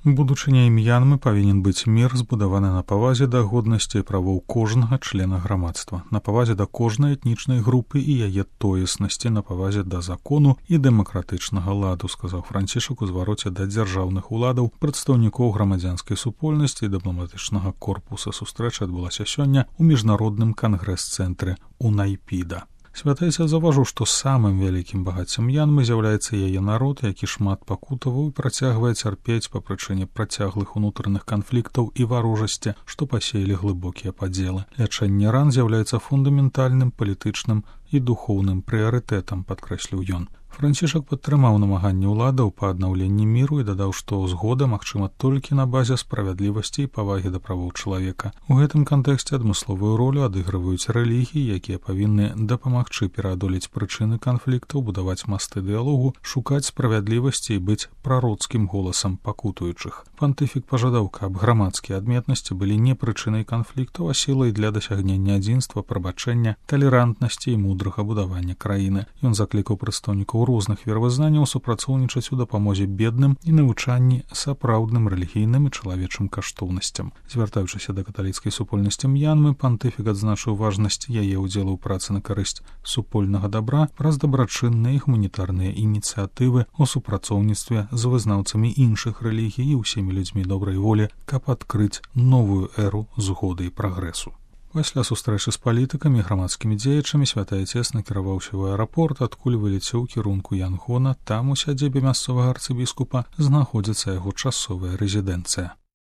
Будучыня М'янмы павінен быць мір, збудаваны на павазе да годнасці і правоў кожнага члена грамадства, на павазе да кожнай этнічнай групы і яе тоеснасці, на павазе да закону і дэмакратычнага ладу, сказаў Францішак у звароце да дзяржаўных уладаў, прадстаўнікоў грамадзянскай супольнасці і дыпламатычнага корпуса. Сустрэча адбылася сёння ў міжнародным кангрэс-цэнтры у Найпіда. Святайца заўважыў, што самым вялікім багаццем М'янмы з'яўляецца яе народ, які шмат пакутаваў і працягвае цярпець па прычыне працяглых унутраных канфліктаў і варожасці, што пасеялі глыбокія падзелы. Лячэнне ран з'яўляецца фундаментальным палітычным і духоўным прыярытэтам, падкрэсліў ён. Францішак падтрымаў намаганні ўладаў па аднаўленні міру і дадаў, што згода магчыма толькі на базе справядлівасці і павагі да правоў чалавека. У гэтым кантэксце адмысловую ролю адыгрываюць рэлігіі, якія павінны дапамагчы пераадолець прычыны канфліктаў, будаваць масты дыялогу, шукаць справядлівасці і быць прароцкім голасам пакутуючых. Пантыфік пажадаў, каб грамадскія адметнасці былі не прычынай канфліктаў, а сілай для дасягнення адзінства, прабачэння, талерантнасці і мудрага будавання краіны. Ён заклікаў прадстаўнікоў розных веравызнанняў супрацоўнічаць у дапамозе бедным і навучанні сапраўдным рэлігійным і чалавечым каштоўнасцям. Звяртаючыся да каталіцкай супольнасці М'янмы, пантыфік адзначыў важнасць яе ўдзелу ў працы на карысць супольнага дабра праз дабрачынныя і гуманітарныя ініцыятывы ў супрацоўніцтве з вызнаўцамі іншых рэлігій і ўсімі людзьмі добрай волі, каб адкрыць новую эру згоды і прагрэсу. Пасля сустрэчы з палітыкамі і грамадскімі дзеячамі святай Отец накіраваўся ў аэрапорт, адкуль вылецеў у кірунку Янгона. Там у сядзібе мясцовага арцыбіскупа знаходзіцца яго часовая рэзідэнцыя.